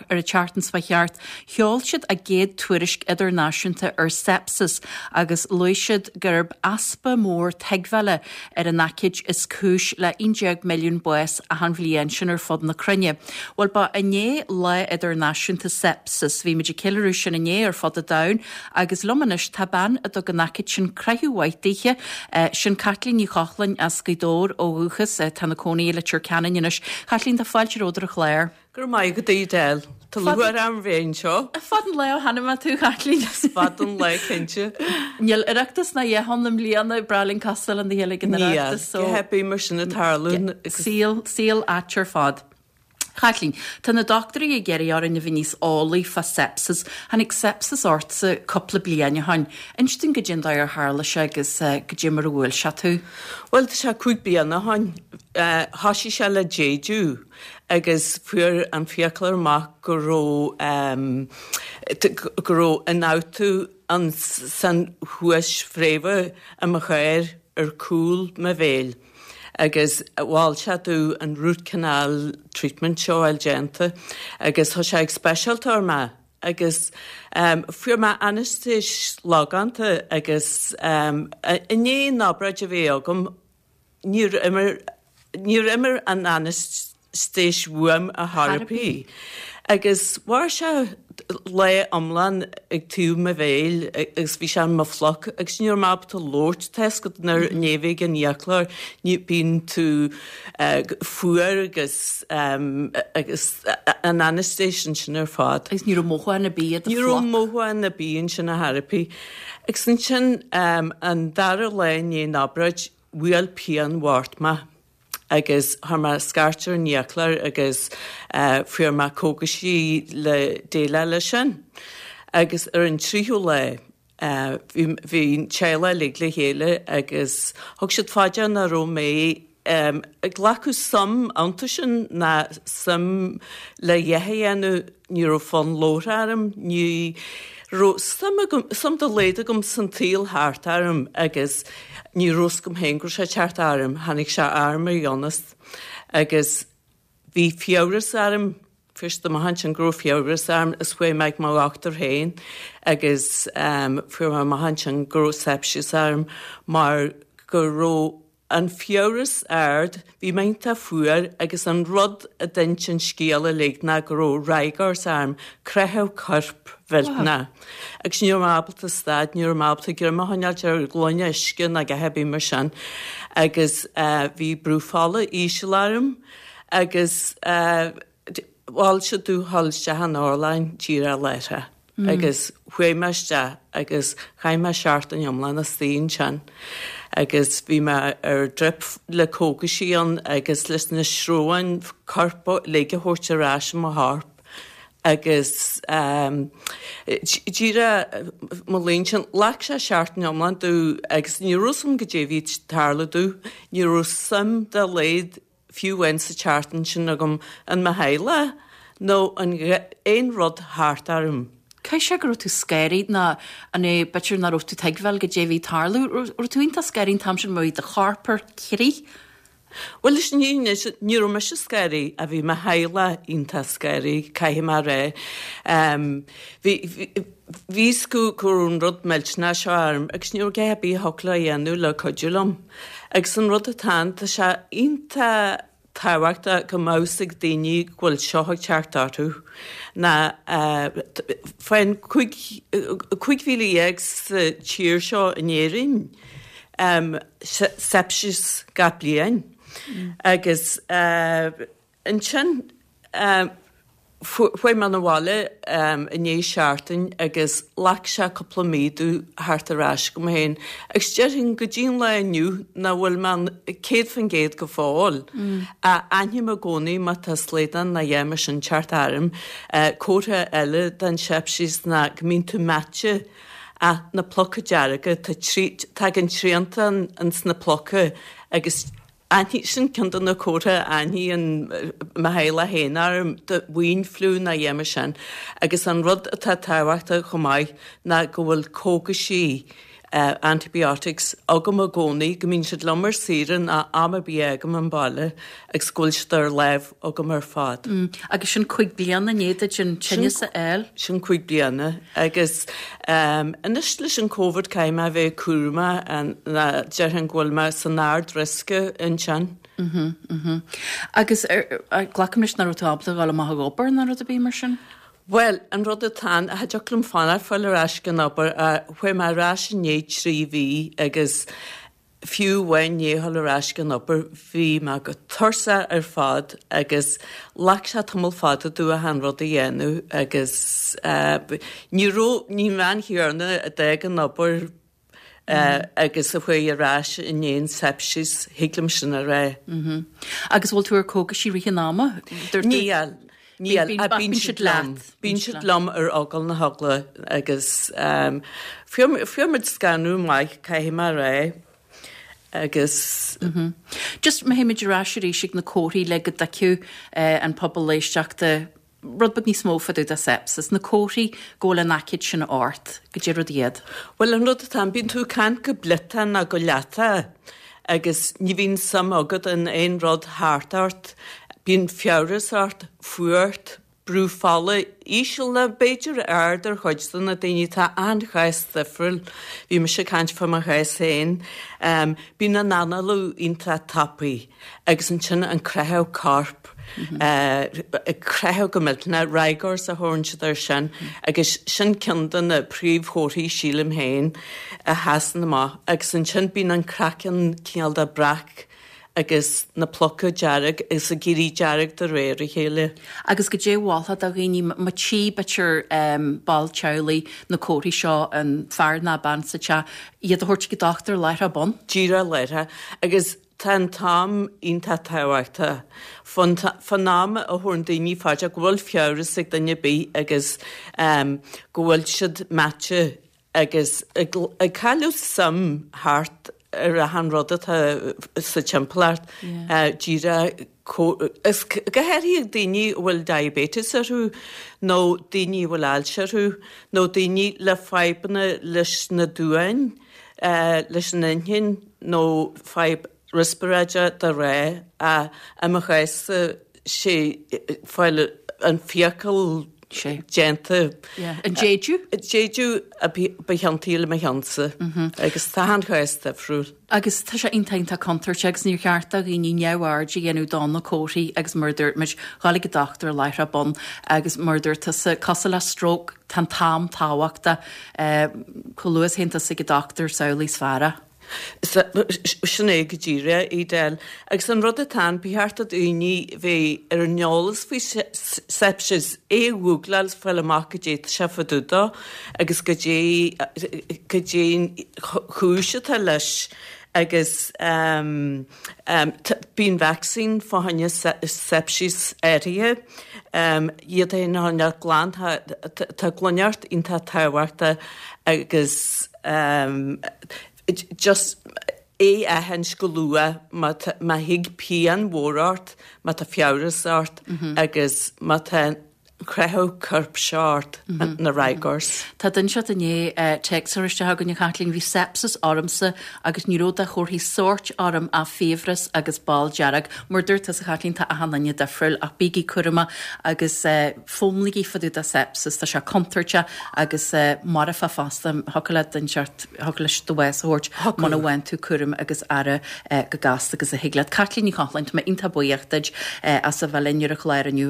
ar an tseachtain seo thart, sheol siad a gcéad tuairisc idirnáisiúnta ar sepsis agus luaigh siad gurb easpa mór tuigbheála ar an aicíd is cúis le 11 milliún bás achan bhliain, sin ar fud na cruinne. Bhuel, ba inné Lá Idirnáisiúnta Sepsis. Bhí muid ag ceiliúradh sin inné ar fud an domhain agus liom anois tá bean a dtug an aicíd sin croitheadh mhaith daoithe, sin Caitlín Ní Chochláin as Gaoth Dobhair ó dhúchas, atá ina cónaí i Leitir Ceanainn anois. Caitlín, tá fáilte romhat ar an chlár. Go raibh maith agat, a Edel. Tá lúcháir orm bheith anseo. Fada an lá ó chonaic mé tú, a Chaitlín. Is fada an lá, cinnte. Níl Oireachtas ná a dhath ann i mbliana, breá linn castáil lena chéile ag an Oireachtas. Níl, go happy mar sin ag tarlú. Saol, saol ait ar fad. Chaitlín, tá na dochtúirí ag iarraidh orainn a bheith níos eolaí fá sepsis. Tháinig sepsis ortsa cúpla bliain ó shin. Inis dúinn goidé an dóigh ar tharla sé agus goidé mar a bhuail sé tú. Bhuel, tá sé 5 bliana ó shin. Thoisigh sé le déideadh. agus fuair an fiaclóir amach go raibh go raibh ionfhabhtú an san chuas fréimhe i mo chomhair ar cúl mo bhéil agus mhol sé domh an root canal treatment seo a fháil déanta agus tá sé ag speisialtóir mé agus fuair mé anaistéis logánta agus i ndiaidh an obráid a bhí agam Níor imir, níor imir an anaistéis uaim ar chor ar bith. Agus mhair sé lá iomlán ag taobh mo bhéil agus bhí sé in mo phluc agus ní raibh mé ábalta labhairt. Tá fhios agat nuair a bheith ag an fhiaclóir ní bíonn tú fuar agus agus an anaistéis ansin ar fad. Agus ní raibh mothúchán ar bith i do phluc. Ní raibh mothúchán ar bith ansin ar chor ar bith. Agus ansin an dara lá i ndiaidh an obráid bhuail pian bhocht mé agus chuir mé scairt ar an fhiaclóir agus fuair mé cógaisí le déileáil leis sin. Agus ar an tríú lá bhí bhí an teaghlach uilig le chéile agus thug siad fá dear nach raibh mé ag glacadh suim iontu sin ná suim le a dhath a dhéanamh, ní raibh fonn labhartha orm, ní raibh suim agam, suim dá laghad agam san tsaol thart orm agus ní raibh fhios agam féin go raibh sé ag teacht orm, tháinig sé orm ar dheonas agus bhí fiabhras orm, fuair siad amach ansin go raibh fiabhras orm is chuaigh mé ag mo dhochtúir féin agus fuair mé amach ansin go raibh sepsis orm mar go raibh an fiabhras ard, bhí mé iontach fuar agus an rud a d'inis an scéal uilig ná go raibh rigors orm, creathadh coirp mhillteanach. Agus ní raibh mé ábalta stad, ní raibh mé ábalta greim a choinneáilt ar ghloine uisce ná a dhath ar bith mar sin. Agus bhí brú fola íseal orm agus mhol siad domh dhul isteach in otharlann díreach láithreach. Agus chuaigh mé isteach agus chaith mé seachtain iomlán istigh ansin agus bhí mé ar drip le cógaisí ann agus leis na sreabháin coirp uilig a thabhairt ar ais i mo chorp agus díreach mo léan sin, ghlac sé seachtain iomlán domh agus ní raibh fhios agam goidé a bhí ag tarlú domh, ní raibh suim dá laghad fiú amháin sa tseachtain sin agam in mo theaghlach nó in aon rud thart orm. Caithfidh sé go raibh tú scanraithe nó an é b'fhéidir nach raibh tú tuigbheáil goidé a bhí ag tarlú. Raibh tú iontach scanraithe an t-am sin mar bhí do chorp ar crith? Bhuel leis an fhírinne ní raibh mise scanraithe ach bhí mo theaghlach iontach scanraithe, caithfidh mé a rá. Bhí bhí fhios acu go raibh an rud millteanach seo orm agus ní raibh a dhath ar bith a thiocfadh leo a dhéanamh le cuidiú liom. Agus an rud atá ann, tá sé iontach tábhachtach go mbeadh fhios ag daoine go bhfuil seo ag teacht orthu ná faigheann 15,000 sa tír seo in Éirinn sepsis gach bliain agus ansin Chuaigh mé 'na bhaile i ndiaidh seachtain agus ghlac sé cúpla mí domh theacht ar ais chugam féin agus déarfainn go dtí an lá inniu nach bhfuil mé 100% go fóill. Aithním i gcónaí má tá slaghdán nó a dhath mar sin teacht orm. Comhartha eile den sepsis ná go mbíonn tú meaite ach na pluca dearga, tá tagann triantán ins na pluca agus Aithníonn, sin ceann de na comharthaí a aithníonn mo theaghlach féin orm, do ween flu nó a dhath mar sin. Agus an rud atá tábhachtach chomh maith ná go bhfuil cógaisí. Antibiotics agam i gcónaí, go mbíonn siad liom ar saoire ná am ar bith a fhágaim an baile agus go bhfuil siad ar láimh agam ar fad. Agus sin 5 bliana i ndiaidh duit an tinneas a fháil? Sin 5 bliana agus anois leis an Covid caithfidh mé a bheith cúramach ná déarfainn go bhfuil mé san ard-riosca ansin. Agus glacaim leis nach raibh tú ábalta a dhul amach ag obair ná rud ar bith mar sin? Bhuel, an rud atá ann, cha dtiocfadh liom fanacht fáil ar ais ag an obair, chuaigh mé ar ais i ndiaidh 3 mhí agus fiú amháin i ndiaidh dhul ar ais ag an obair bhí mé go tuirseach ar fad agus ghlac sé tamall fada domh achan rud a dhéanamh agus ní raibh, ní an bhean chéanna a d'fhág an obair agus a chuaigh ar ais i ndiaidh an sepsis, thig liom sin a rá. Agus bhfuil tú ar cógaisí i rith an ama? Níl, níl, ach bíonn siad liom, bíonn siad liom ar eagal na heagla agus fuair muid scanradh maith, caithfidh mé a rá, agus. Just má théimid ar ais arís ag na comharthaí le go dtuigfeadh an pobal éisteachta rud beag níos mó fá dtaobh de sepsis, na comharthaí go bhfuil an aicíd sin ort, goidé rudaí iad. Bhuel, an rud atá ann, bíonn tú ag caint go bliotach nó go leatach agus ní bhíonn suim agat in aon rud thart ort, bíonn fiabhras ort, fuacht, brú fola íseal nó b'fhéidir ard ar chuid de na daoine, tá achan chás difriúil, bhí mise ag caint fá mo chás féin, bíonn an análú iontach tapaidh agus ansin an creathadh coirp. ag creathadh go millteanach, rigors a thabharann siad air sin, agus sin ceann de na príomhchomharthaí, sílim féin, a sheasann amach. Agus ansin bíonn an craiceann cineál de breac agus na pluca dearg agus ag éirí dearg de réir a chéile. Agus goidé a mholfá do dhaoine, má tchí b'fhéidir ball teaghlaigh na comharthaí seo, an fear ná bean sa teach, iad a thabhairt chuig an dochtúir láithreach bonn? Díreach láithreach. Agus Tá an t-am iontach tábhachtach. Fán am a thabharann daoine fá dear go bhfuil fiabhras ag duine ar bith agus go bhfuil siad meáite agus ag cailleadh suim thart ar achan rud atá sa timpeallacht, díreach is go háirithe daoine a bhfuil diabetes orthu nó daoine a bhfuil ailse orthu nó daoine le fadhbanna leis na duáin, leis an inchinn. nó fadhb riospráide de réir a i mo chás-sa sé fáil an fiacail déanta. An déideadh? Déideadh a ba chiontaí le mo chionn-sa agus tá achan chás difriúil. Agus tá sé iontach iontach contúirteach agus níor cheart do dhaoine neamhaird a dhéanamh do na comharthaí agus mar a dúirt muid, dhul ag an dochtúir láithreach bonn agus mar a dúirt tusa, cosúil le stróc, tá an t-am tábhachtach. Chomh luath is a théann tusa ag an dochtúir is amhlaidh is fearr é. Sin é go díreach, Edel. Agus an rud atá ann, ba cheart do dhaoine bheith ar an eolas faoi sepsis, é a ghúgláil is fáil amach goidé tá sé fá dtaobh dó agus goidé goidé an chúis atá leis agus bíonn vacsaín fá choinne sepsis áirithe, iad féin a choinneáil glan, tá glaineacht iontach tábhachtach agus just é a aithint go luath má má thig pian mhór ort, má tá fiabhras ort agus má tá creathadh coirp seo ort, na rigors. Tá duine inteacht i ndiaidh téacs a chur isteach chugainn, a Chaitlín, bhí sepsis ormsa agus ní raibh de chomharthaí sóirt orm ach fiabhras agus ball dearg. Mar a dúirt tusa, a Chaitlín, tá achan duine difriúil ach bígí cúramach agus foghlaimígí fá dtaobh de sepsis, tá sé contúirteach agus marfach fosta. Thiocfadh le duine inteacht, thiocfadh leis do bhás a thabhairt muna bhfaigheann tú cúram agus aire chomh gasta agus a thig leat. Caitlín Ní Chochláin, tá mé iontach buíoch duit as a bheith linn ar an chlár inniu.